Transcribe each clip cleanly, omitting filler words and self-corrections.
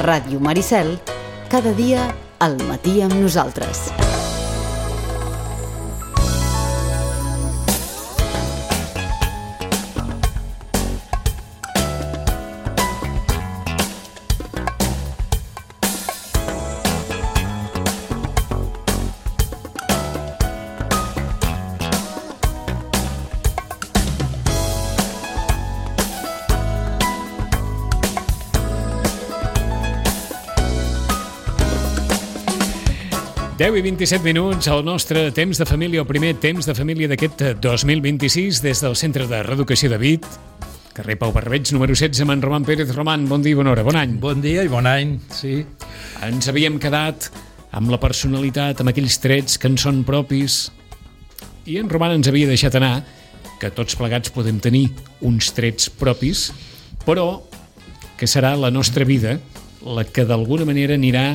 Ràdio Maricel, cada dia al matí amb nosaltres. Deu i 27 minuts al nostre temps de família, el primer temps de família d'aquest 2026 des del Centre de Reeducació de Vic, carrer Pau Barbeig, número 16, amb en Roman Pérez. Roman, bon dia i bona hora, bon any. Bon dia i bon any, sí. Ens havíem quedat amb la personalitat, amb aquells trets que en són propis, i en Roman ens havia deixat anar que tots plegats podem tenir uns trets propis, però que serà la nostra vida la que d'alguna manera anirà,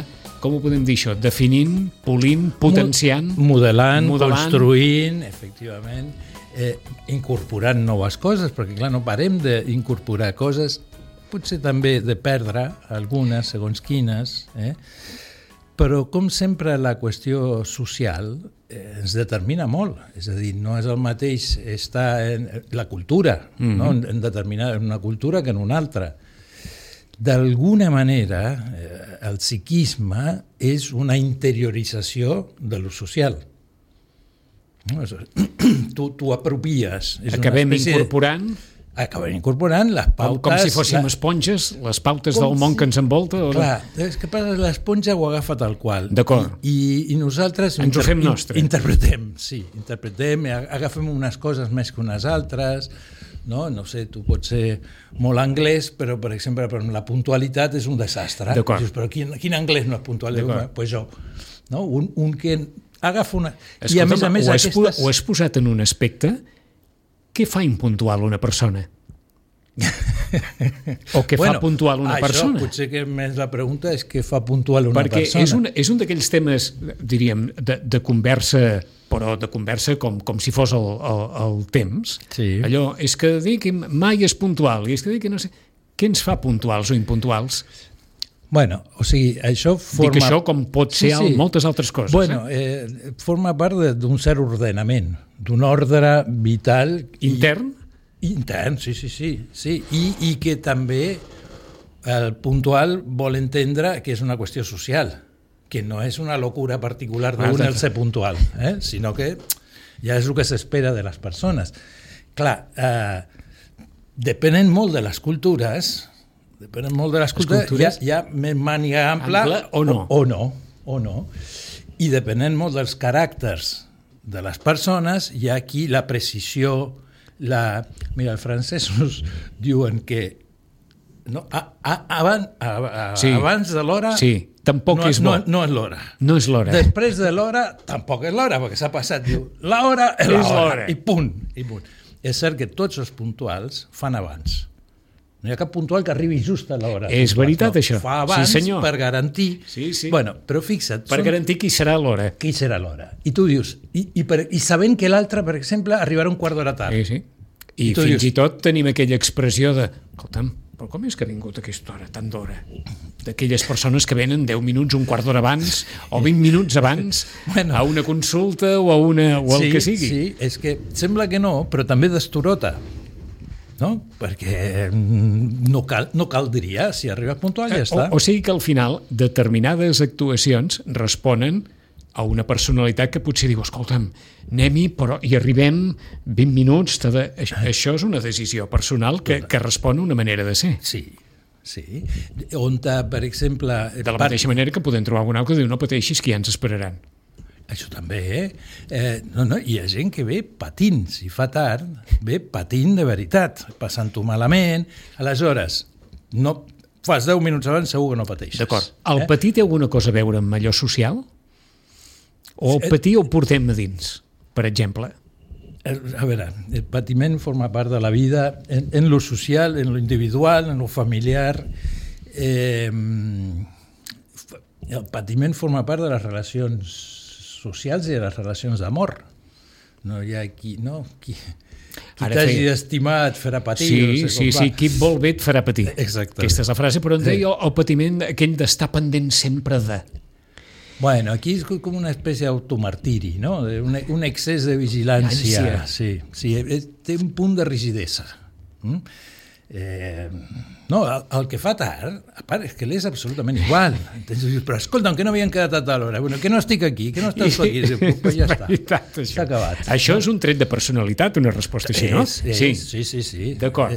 com ho podem dir això, definint, polint, potenciant... Modelant, construint, efectivament, incorporant noves coses, perquè clar, no parem d'incorporar coses, potser també de perdre algunes, segons quines, però com sempre la qüestió social ens determina molt, és a dir, no és el mateix estar en la cultura, no? En una cultura que en una altra. D'alguna manera, el psiquisme és una interiorització de lo social. Tu apropies. Acabem incorporant les pautes... Com si fóssim esponges, les pautes del món que ens envolta? Clar, és que l'esponja ho agafa tal qual. D'acord. I nosaltres... Ens ho fem nostre. Interpretem, agafem unes coses més que unes altres... No sé, tu pots ser molt anglès, però, per exemple, la puntualitat és un desastre. Dius, però quin anglès no és puntual? Pues jo. No? Un que agafa una... Escolta'm, i a més ho has posat en un aspecte? Què fa impuntual una persona? O què fa puntual una persona? Potser que més la pregunta és què fa puntual una persona. Perquè és un d'aquells temes, diríem, de conversa, però de conversa com si fos el temps. Sí. Allò, és que dir que mai és puntual, i és que dir que no sé... Què ens fa puntuals o impuntuals? Bueno, o sigui, això forma... Dic això com pot ser moltes altres coses. Bueno, forma part d'un cert ordenament, d'un ordre vital... Intern? Intern, sí. I que també el puntual vol entendre que és una qüestió social, que no és una locura particular d'un el ser puntual, sinó que ja és el que s'espera de les persones. Clar, depenent molt de les cultures, hi ha més màniga ampla o no. I depenent molt dels caràcters de les persones, hi ha aquí la precisió, mira, els francesos diuen que abans de l'hora tampoc és bo. No és l'hora. No és l'hora. Després de l'hora tampoc és l'hora, perquè s'ha passat, diu, l'hora és l'hora, i punt. És cert que tots els puntuals fan abans. No hi ha cap puntual que arribi just a l'hora. És veritat, això. Fa abans per garantir... Sí. Bueno, però fixa't... Per garantir qui serà l'hora. Qui serà l'hora. I tu dius... I sabent que l'altre, per exemple, arribarà un quart d'hora tard. Sí. I fins i tot tenim aquella expressió de... Escolta'm, però com és que ha vingut a aquesta hora, tant d'hora? D'aquelles persones que venen 10 minuts, un quart d'hora abans, o 20 minuts abans, a una consulta o el que sigui. Sí, és que sembla que no, però també d'estorota. No? Perquè no caldria, si arribes puntual ja està. O sigui que al final determinades actuacions responen a una personalitat que potser diu, escolta'm, anem-hi, però hi arribem 20 minuts. Això és una decisió personal que respon a una manera de ser. Sí. On, per exemple... De la mateixa manera que podem trobar algun altre que diu, no pateixis, que ja ens esperaran. Això també, hi ha gent que ve patint, si fa tard, ve patint de veritat, passant-ho malament. Aleshores, no fas 10 minuts abans, segur que no pateixes. D'acord. El patir té alguna cosa a veure amb allò social? O el patir ho portem a dins, per exemple? A veure, el patiment forma part de la vida en lo social, en lo individual, en lo familiar. El patiment forma part de les relacions socials i de les relacions d'amor. No hi ha qui... Qui t'hagi estimat farà patir. Sí, qui et vol bé et farà patir. Exactament. Aquesta és la frase, però en deia el patiment aquell d'estar pendent sempre de... Bueno, aquí és com una espècie d'automartiri, no? Un excés de vigilància. Sí, té un punt de rigidesa. No, el que fa tard, a part, és que l'és absolutament igual. Però escolta'm, que no havien quedat a tal hora, bueno, que no estic aquí, que no estàs aquí, pues ja està, s'ha acabat. Això és un tret de personalitat, una resposta així, no? Sí. D'acord.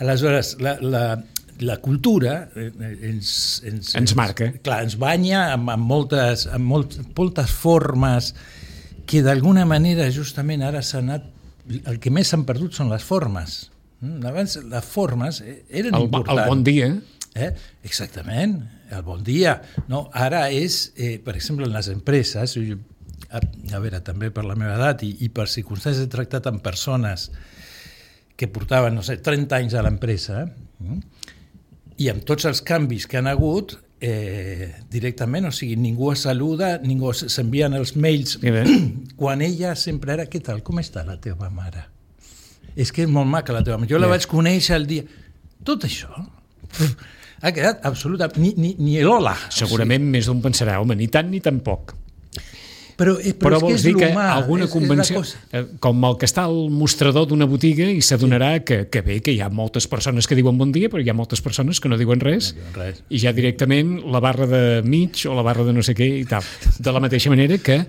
Aleshores, la cultura ens marca. Clar, ens banya amb moltes formes que d'alguna manera justament ara s'ha anat... El que més s'han perdut són les formes. Abans les formes eren importants. El bon dia. Exactament, el bon dia. No, ara és, per exemple, en les empreses, a veure, també per la meva edat i per circumstàncies he tractat amb persones que portaven, no sé, 30 anys a l'empresa, i amb tots els canvis que han hagut, directament, o sigui, ningú es saluda, ningú s'envien els mails, quan ella sempre era, què tal, com està la teva mare? És que és molt maca la teva mare, jo la vaig conèixer el dia... Tot això ha quedat absolutament... Ni l'hola. Segurament més d'un pensarà, home, ni tant ni tan poc. Però vols dir que alguna convenció, com el que està al mostrador d'una botiga i s'adonarà que bé, que hi ha moltes persones que diuen bon dia, però hi ha moltes persones que no diuen res, i ja directament la barra de mig o la barra de no sé què i tal. De la mateixa manera que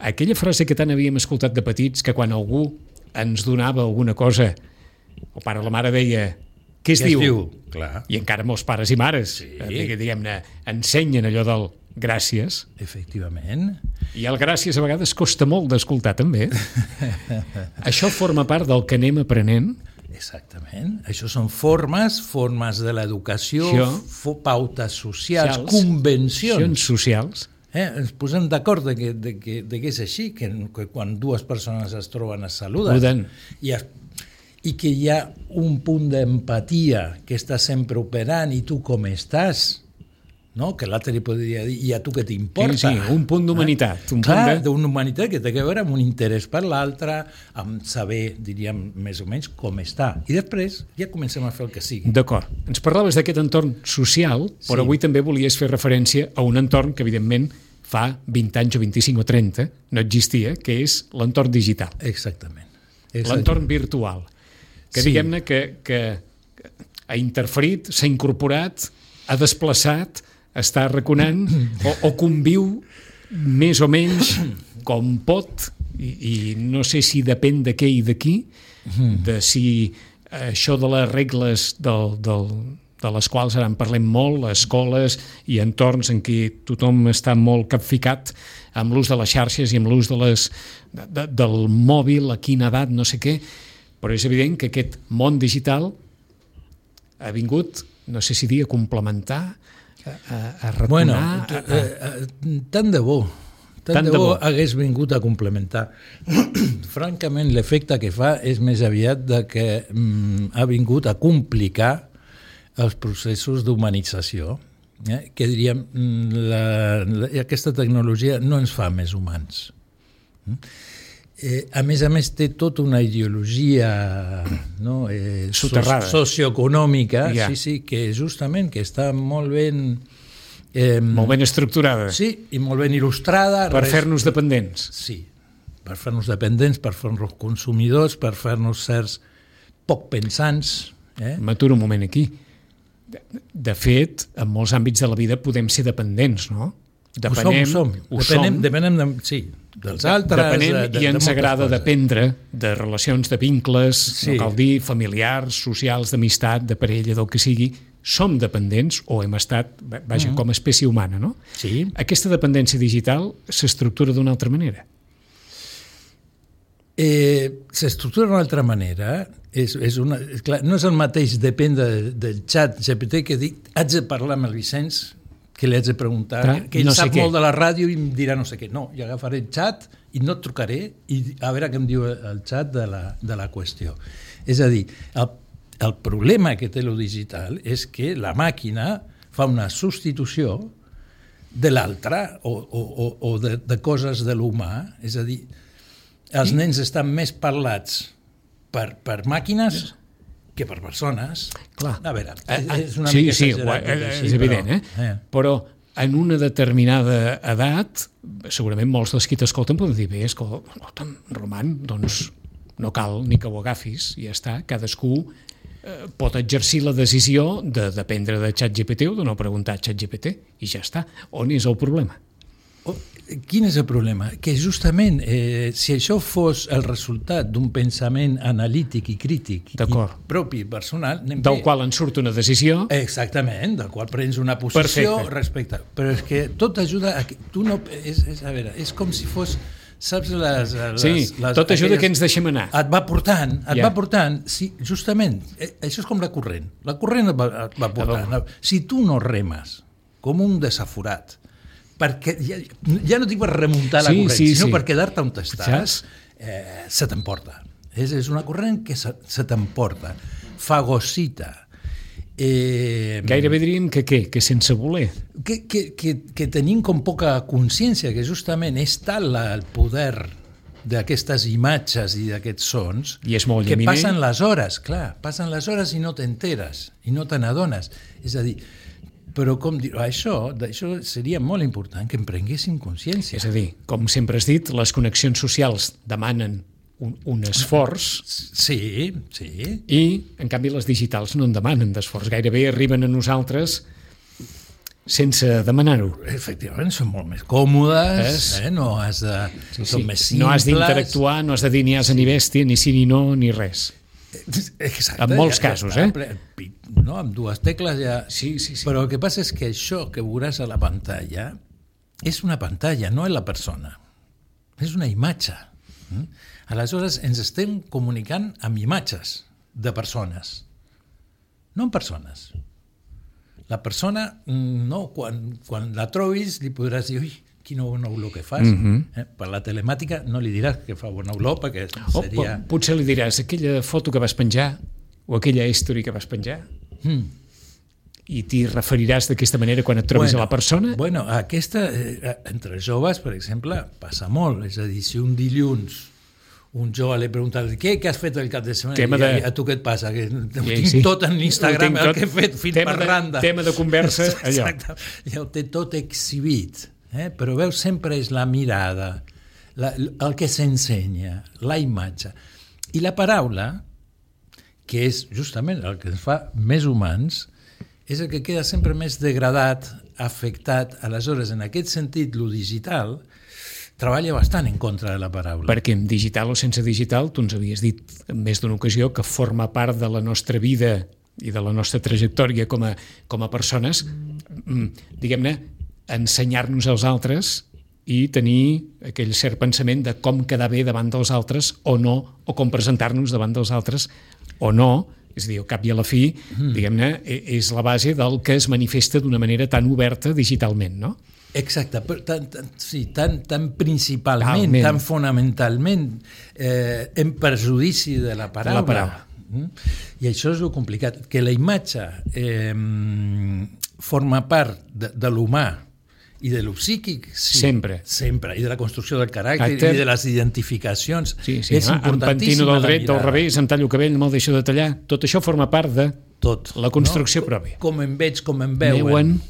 aquella frase que tant havíem escoltat de petits, que quan algú ens donava alguna cosa, el pare o la mare deia què es diu? Clar. I encara molts pares i mares diguem-ne, ensenyen allò del gràcies. Efectivament. I el gràcies a vegades costa molt d'escoltar també. Això forma part del que anem aprenent. Exactament. Això són formes de l'educació, pautes socials, convencions socials. Ens posem d'acord de que és així, que quan dues persones es troben es saluden i que hi ha un punt d'empatia que està sempre operant i tu com estàs, no? Que l'altre li podria dir i a tu què t'importa. Sí, un punt d'humanitat. Clar, d'una humanitat que té a veure amb un interès per l'altre, amb saber, diríem, més o menys com està. I després ja comencem a fer el que sigui. D'acord. Ens parlaves d'aquest entorn social, però avui també volies fer referència a un entorn que, evidentment, fa 20 anys o 25 o 30 no existia, que és l'entorn digital. Exactament. L'entorn virtual. Que diguem-ne que ha interferit, s'ha incorporat, ha desplaçat, està arraconant o conviu més o menys com pot, i no sé si depèn de què i de qui, de si això de les regles de les quals ara en parlem molt, escoles i entorns en què tothom està molt capficat amb l'ús de les xarxes i amb l'ús del mòbil, a quina edat, no sé què, però és evident que aquest món digital ha vingut, no sé si dir, a complementar, a retonar... Bueno, tant de bo hagués vingut a complementar. Francament, l'efecte que fa és més aviat de que ha vingut a complicar els processos d'humanització, que diríem, aquesta tecnologia no ens fa més humans. A més, té tota una ideologia soterrada, socioeconòmica, que justament que està molt ben... molt ben estructurada. Sí, i molt ben il·lustrada. Per fer-nos dependents. Sí, per fer-nos dependents, per fer-nos consumidors, per fer-nos certs poc pensants. M'aturo un moment aquí. De fet, en molts àmbits de la vida podem ser dependents, no? Depenem dels altres. Depenem i ens agrada dependre de relacions, de vincles, no cal dir, familiars, socials, d'amistat, de parella, del que sigui. Som dependents, o hem estat, vaja, com a espècie humana, no? Sí. Aquesta dependència digital s'estructura d'una altra manera. S'estructura d'una altra manera. Clar, no és el mateix depèn del xat GPT que dic, haig de parlar amb el Vicenç, que li haig de preguntar, que ell sap molt de la ràdio i em dirà no sé què. No, jo agafaré el xat i no et trucaré i a veure què em diu el xat de la qüestió. És a dir, el problema que té lo digital és que la màquina fa una substitució de l'altre o de coses de l'humà. És a dir, els nens estan més parlats per màquines que per persones. Clar. A veure, és una mica exagerat. És evident, Però en una determinada edat, segurament molts dels qui t'escolten poden dir, bé, escolta'm, Roman, doncs no cal ni que ho agafis, i ja està, cadascú pot exercir la decisió de dependre de ChatGPT o de no preguntar a ChatGPT, i ja està. On és el problema? Quin és el problema? Que justament, si això fos el resultat d'un pensament analític i crític i propi, personal... Del qual en surt una decisió... Exactament, del qual prens una posició respecte. Però és que tot ajuda a... A veure, és com si fos... Saps tot ajuda que ens deixem anar. Et va portant, sí, justament, això és com la corrent. La corrent et va portant. Si tu no remes com un desaforat, perquè ja no dic per remuntar la corrent, sinó per quedar-te on estàs, se t'emporta. És una corrent que se t'emporta, fagocita. Gairebé diríem que què? Que sense voler? Que tenim com poca consciència, que justament és tal el poder d'aquestes imatges i d'aquests sons que passen les hores, passen les hores i no t'enteres, i no te n'adones. És a dir, però com dir, d'això seria molt important que en prenguéssim consciència. És a dir, com sempre has dit, les connexions socials demanen un esforç. Sí. I, en canvi, les digitals no en demanen d'esforç. Gairebé arriben a nosaltres sense demanar-ho. Efectivament, són molt més còmodes, no has de... Són més simples. No has d'interactuar, no has de dir ni asa ni bèstia, ni sí ni no, ni res. Exacte. En molts casos, no, amb dues tecles ja... Sí. Però el que passa és que això que veuràs a la pantalla és una pantalla, no és la persona. És una imatge. Aleshores, ens estem comunicant amb imatges de persones, no amb persones. La persona, no, quan la trobis, li podràs dir, ui, quina bona olor que fas. Per la telemàtica no li diràs que fa bona olor, perquè seria... Potser li diràs aquella foto que vas penjar o aquella history que vas penjar i t'hi referiràs d'aquesta manera quan et trobis a la persona? Bueno, aquesta, entre joves, per exemple, passa molt. És a dir, si un dilluns un jove li pregunta què has fet el cap de setmana? A tu què et passa? Que tinc tot en Instagram, el que he fet fins per randa. Tema de conversa, allò. Exacte. Ja ho té tot exhibit. Però veus, sempre és la mirada, el que s'ensenya, la imatge. I la paraula, que és justament el que ens fa més humans, és el que queda sempre més degradat, afectat. Aleshores, en aquest sentit, lo digital treballa bastant en contra de la paraula. Perquè en digital o sense digital, tu ens havies dit en més d'una ocasió que forma part de la nostra vida i de la nostra trajectòria com a persones, diguem-ne, ensenyar-nos als altres i tenir aquell cert pensament de com quedar bé davant dels altres o no, o com presentar-nos davant dels altres o no. És a dir, al cap i a la fi, diguem-ne, és la base del que es manifesta d'una manera tan oberta digitalment, no? Exacte, tan principalment, tan fonamentalment en perjudici de la paraula. I això és el complicat, que la imatge forma part de l'humà i de lo psíquic, sempre, i de la construcció del caràcter i de les identificacions. És importantíssima. Em pentino del dret, del revés, em tallo el cabell, me'l deixo de tallar. Tot això forma part de la construcció pròpia. Com em veig, com em veuen.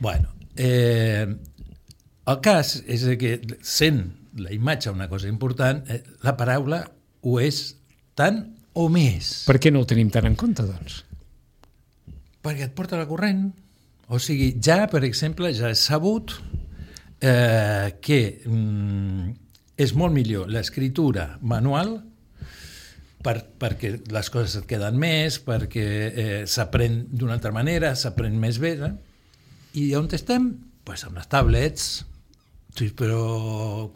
Bueno, el cas és que, sent la imatge una cosa important, la paraula ho és tant o més. Per què no ho tenim tan en compte, doncs? Perquè et porta la corrent. O sigui, ja, per exemple, ja és sabut que és molt millor l'escriptura manual perquè les coses et queden més, perquè s'aprèn d'una altra manera, s'aprèn més bé, i on estem? Pues amb les tablets. Sí, però...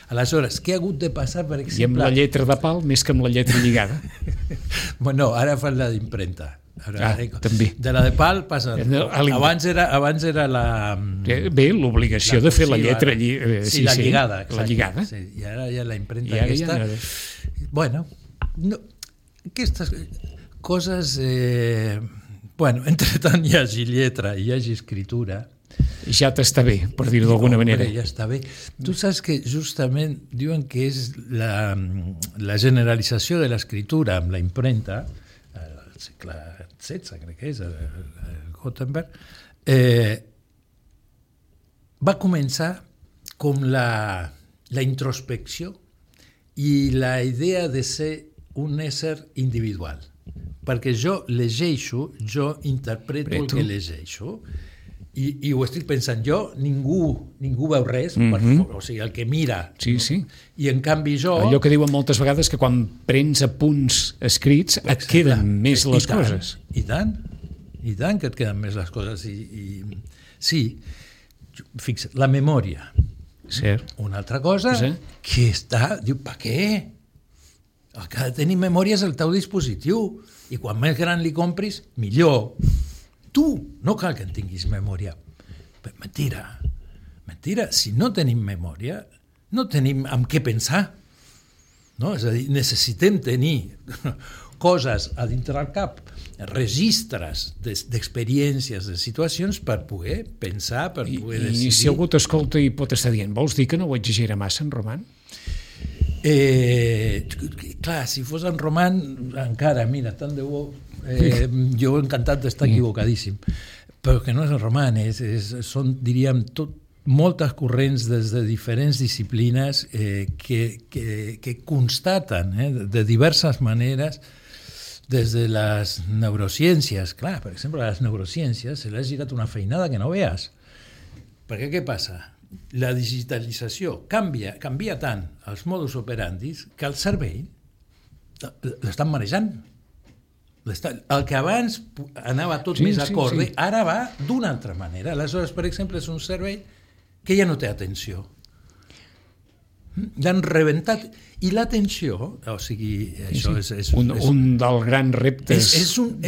Aleshores, què ha hagut de passar, per exemple... I amb la lletra de pal més que amb la lletra lligada. Bueno, ara fan la d'impremta. També. De la de pal passa... Abans era la... Bé, l'obligació de fer la lletra... Sí, la lligada. La lligada. Sí, i ara ja la impremta aquesta... Bueno, aquestes coses... Bueno, entre tant hi hagi lletra i hi hagi escritura, ja t'està bé, per dir-ho d'alguna manera. Ja està bé. Tu saps que justament diuen que és la generalització de l'escriptura amb la impremta, al segle XVI, crec que és, el Gutenberg, va començar com la introspecció i la idea de ser un ésser individual. Perquè jo llegeixo, jo interpreto el que llegeixo, i ho estic pensant jo, ningú veu res, o sigui, el que mira. Sí, sí. I en canvi jo... Allò que diuen moltes vegades, que quan prens apunts escrits et queden més les coses. I tant que et queden més les coses. Sí, fixa't, la memòria. Cert. Una altra cosa que està... Diu, per què? El que ha de tenir memòria és el teu dispositiu, i quan més gran li compris, millor. Tu no cal que en tinguis memòria. Però mentira. Si no tenim memòria, no tenim amb què pensar. No? És a dir, necessitem tenir coses a dintre del cap, registres d'experiències, de situacions, per poder pensar, per poder decidir. I si algú t'escolta i pot estar dient, vols dir que no ho exagera massa, en Roman? Clar, si fos en Roman, encara, mira, tant de bo, jo encantat d'estar equivocadíssim, però que no és en Roman, són, diríem, moltes corrents des de diferents disciplines que constaten de diverses maneres, des de les neurociències. Clar, per exemple, a les neurociències se li ha girat una feinada que no veus. Perquè què passa? La digitalització canvia tant els modus operandis que el cervell l'estan manejant. El que abans anava tot més acorde, ara va d'una altra manera. Aleshores, per exemple, és un cervell que ja no té atenció. L'han rebentat. I l'atenció, o sigui, això és un dels grans reptes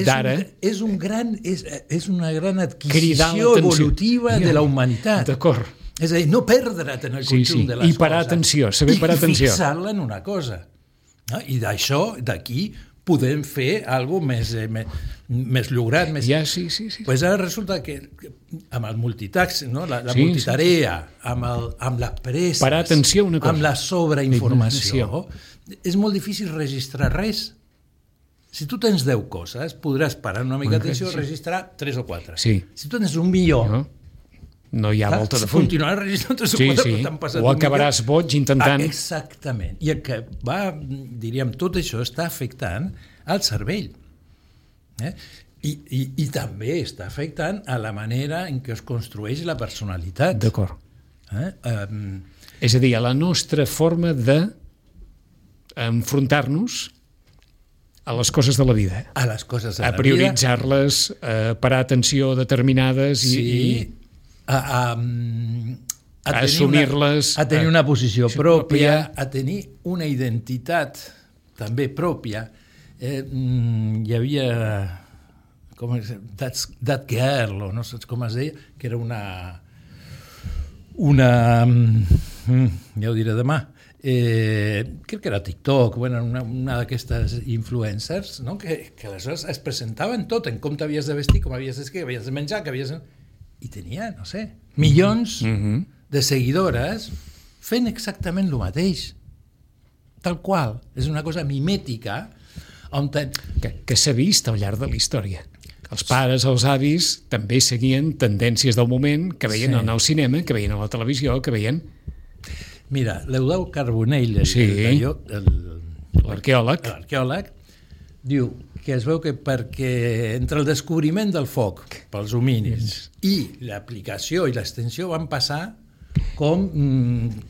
d'ara. És una gran adquisició evolutiva de la humanitat. D'acord. És a dir, no perdre't en el conjunt de les coses. I parar atenció, saber parar atenció. I fixar-la en una cosa. I d'això, d'aquí, podem fer alguna cosa més lograt. Ja, sí. Pues ara resulta que amb el multitask, no? la multitarea, amb les presses, parar atenció a una cosa, amb la sobreinformació, és molt difícil registrar res. Si tu tens 10 coses, podràs parar una mica d'atenció i registrar 3 o 4. Sí. Si tu tens 1 milió... No hi ha volta de full. Continuaràs registrant 3 o 4, però t'han passat o acabaràs boig intentant... Exactament. I el que va, diríem, tot això està afectant al cervell. I també està afectant a la manera en què es construeix la personalitat. D'acord. És a dir, a la nostra forma d'enfrontar-nos a les coses de la vida. A les coses de la vida. A prioritzar-les, a parar atenció a determinades i a assumir-les, a tenir una posició pròpia, a tenir una identitat també pròpia. Hi havia That Girl, o no saps com es deia, que era una ja ho diré demà, crec que era TikTok, una d'aquestes influencers, no? que aleshores es presentaven tot, en com t'havies de vestir, com havies d'escriure, que havies de menjar, que havies de... I tenia, no sé, milions de seguidores fent exactament el mateix. Tal qual. És una cosa mimètica que s'ha vist al llarg de la història. Els pares, els avis, també seguien tendències del moment que veien en el cinema, que veien a la televisió, que veien... Mira, l'Eudald Carbonell, l'arqueòleg, diu que es veu que perquè entre el descobriment del foc pels homínids i l'aplicació i l'extensió van passar com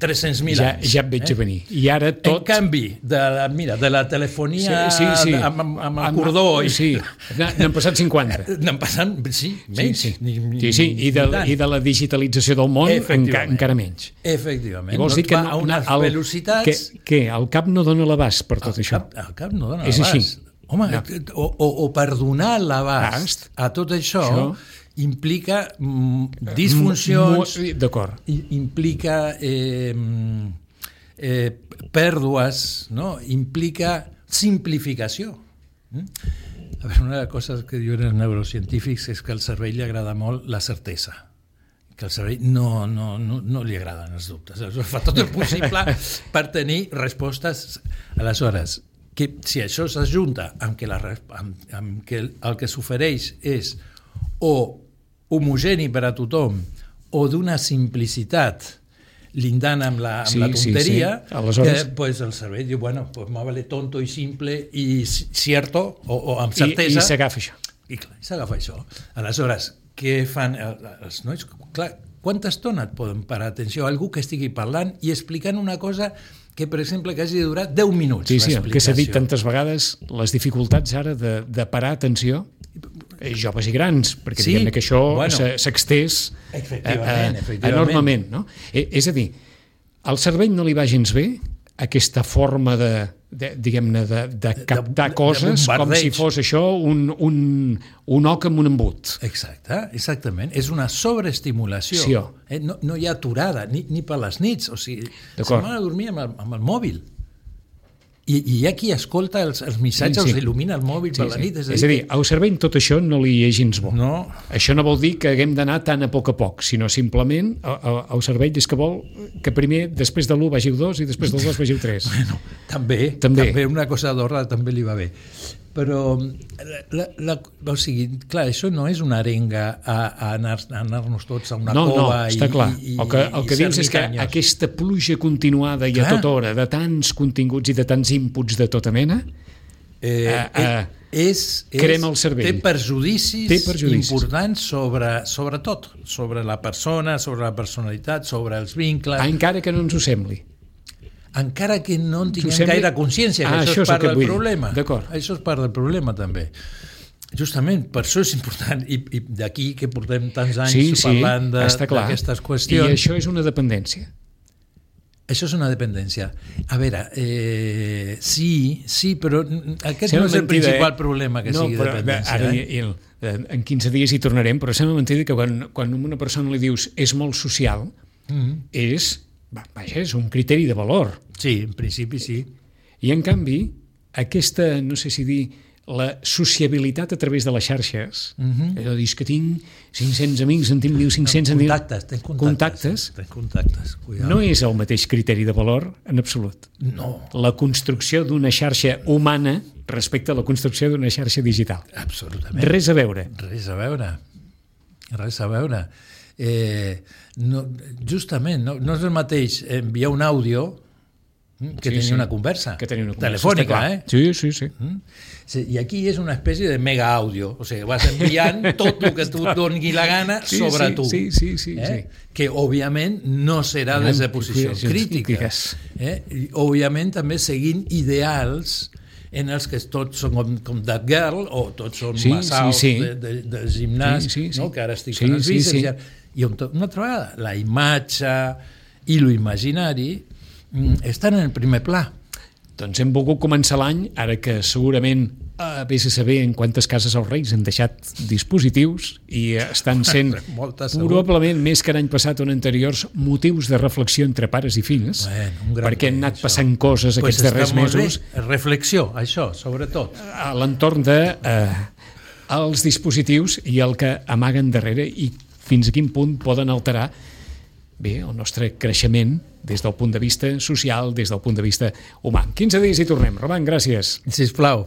300.000 anys. Ja et veig a venir. I ara tot... En canvi, de la telefonia amb el cordó... Sí, n'han passat 50. N'han passat, menys. Sí, i de la digitalització del món encara menys. Efectivament. I vols dir que a unes velocitats... Que el cap no dona l'abast per tot això? El cap no dona l'abast. És així. Home, o per donar l'abast a tot això implica disfuncions, implica pèrdues, no? Implica simplificació. A veure, una de les coses que diuen els neurocientífics és que al cervell li agrada molt la certesa, que al cervell no li agraden els dubtes. Aleshores, fa tot el possible per tenir respostes. Aleshores, que si això s'ajunta amb que el que s'ofereix és o homogeni per a tothom o d'una simplicitat lindant amb la tonteria, Aleshores... que pues, el cervell diu, bueno, pues me vale tonto i simple i cierto, o amb certesa. I s'agafa això. I clar, s'agafa això. Aleshores, què fan els nois? Clar, quanta estona et poden parar atenció a algú que estigui parlant i explicant una cosa que, per exemple, que hagi de durar 10 minuts. Sí, el que s'ha dit tantes vegades, les dificultats ara de parar atenció, joves i grans, perquè diguem-ne que això s'extès enormement. No? És a dir, al cervell no li va gens bé aquesta forma diguem-ne, de captar coses com si fos això un oc amb un embut. Exactament. És una sobreestimulació. No hi ha aturada, ni per les nits. O sigui, se'n van a dormir amb el mòbil. I hi ha qui escolta els missatges, els il·lumina el mòbil per la nit. És a dir, al cervell tot això no li és gens bo. No. Això no vol dir que haguem d'anar tan a poc, sinó simplement el cervell és que vol que primer, després de l'1 vagi el 2 i després del 2 vagi el 3. Bueno, també una cosa d'ordre també li va bé. Però, o sigui, clar, això no és una arenga a anar-nos tots a una cova i està clar. El que dius és que aquesta pluja continuada i a tota hora de tants continguts i de tants inputs de tota mena crema el cervell. Té perjudicis importants sobre tot, sobre la persona, sobre la personalitat, sobre els vincles. Encara que no ens ho sembli. Encara que no en tinguem gaire consciència, que això és part del problema. Això és part del problema, també. Justament, per això és important, i d'aquí que portem tants anys parlant d'aquestes qüestions. I això és una dependència. Això és una dependència. A veure, sí, però aquest no és el principal problema que sigui dependència. Ara, en 15 dies hi tornarem, però sembla mentida que quan a una persona li dius és molt social, és un criteri de valor. Sí, en principi sí. I en canvi, aquesta, no sé si dir, la sociabilitat a través de les xarxes, allò dius que tinc 500 amics, en tinc 1.500... Tens contactes. No és el mateix criteri de valor en absolut. No. La construcció d'una xarxa humana respecte a la construcció d'una xarxa digital. Absolutament. Res a veure. Justament, no és el mateix enviar un àudio que tenir una conversa telefònica, Sí. I aquí és una espècie de mega àudio, o sigui, vas enviant tot el que tu et doni la gana sobre tu. Sí. Que, òbviament, no serà des de posicions crítiques. I, òbviament, també seguint ideals en els que tots són com That Girl, o tots són massaus de gimnàs, que ara estic fent els bíceps. I una altra vegada, la imatge i l'imaginari estan en el primer pla. Doncs hem volgut començar l'any, ara que segurament vés a saber en quantes cases els Reis han deixat dispositius i estan sent probablement més que l'any passat o en anteriors motius de reflexió entre pares i fills, perquè han anat passant coses aquests darrers mesos. Reflexió, això, sobretot. A l'entorn dels dispositius i el que amaguen darrere i fins a quin punt poden alterar el nostre creixement des del punt de vista social, des del punt de vista humà. 15 dies i tornem. Roman, gràcies. Sisplau.